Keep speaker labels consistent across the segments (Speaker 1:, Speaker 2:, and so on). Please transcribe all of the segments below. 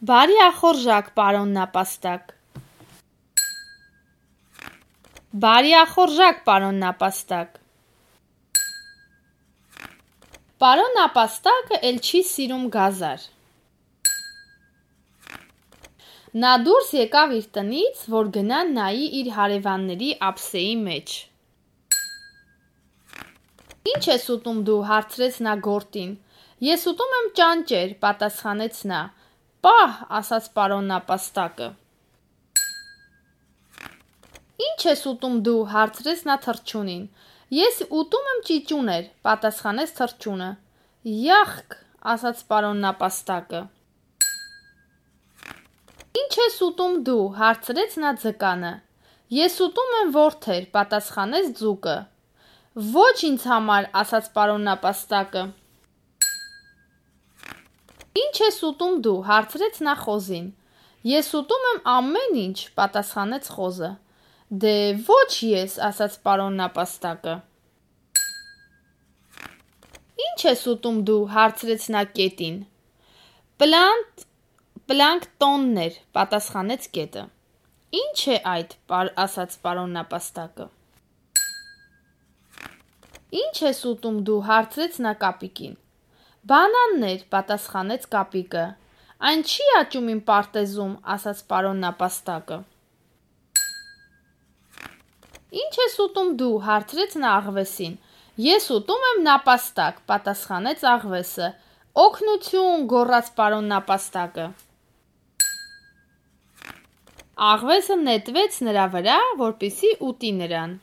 Speaker 1: Բարի ախորժակ, պարոն նապաստակ։ Բարի ախորժակ, պարոն նապաստակ։ Պարոն նապաստակը էլ չի սիրում գազար։ Նա դուրս եկավ իր տնից, որ գնա նայի իր հարևանների ափսեի մեջ։ Ինչ ես ուտում դու, հարցրեց նա գորտին։ Ես ուտում եմ ճանճեր, պատասխանեց նա։ Պահ, ասաց պարոն նապաստակը։ Ինչ ես ուտում դու, հարցրեց նա թռչունին։ Ես ուտում եմ ճիճուներ, պատասխանեց թռչունը։ Յախք, ասաց պարոն նապաստակը։ Ինչ ես ուտում դու, հարցրեց նա ձկանը։ Ես ուտում եմ որդեր, պատասխանեց ձուկը։ Ոչ ինձ համար, ասաց պարոն նապաստակը։ Ինչ ես ուտում դու, հարցրեց նա խոզին։ Ես ուտում եմ ամեն ինչ, պատասխանեց խոզը։ Դե ոչ ես, ասաց պարոն նապաստակը։ Ինչ ես ուտում դու, հարցրեց նա կետին։ Պլանկտոններ, պատասխանեց կետը։ Ինչ է այդ, ասաց պարոն նապաստակը։ Ինչ ես ուտում դու, հարցրեց նա կապիկին։ Բանաններ, պատասխանեց կապիկը։ Այն չի աճում իմ պարտեզում, ասաց պարոն նապաստակը։ Ինչ ես ուտում դու, հարցրեց նա աղվեսին։ Ես ուտում եմ նապաստակ, պատասխանեց աղվեսը։ Օգնություն, գոռաց պարոն նապաստակը։ Աղվեսը նետվեց նրա վրա, որպեսզի ուտի նրան։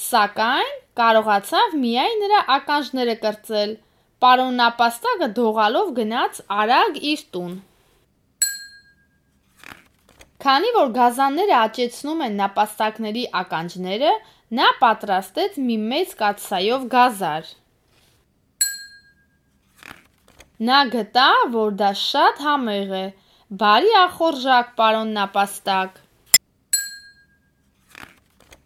Speaker 1: Սակայն կարողացավ միայն նրա ականջները կրծել։ Պարոն նապաստակը դողալով գնաց արագ իր տուն։ Քանի որ գազանները աճեցնում են նապաստակների ականջները, նա պատրաստեց մի մեծ կաթսայով գազար։ Նա գտավ, որ դա շատ համեղ է։ Բարի ախորժակ, պարոն նապաստակ։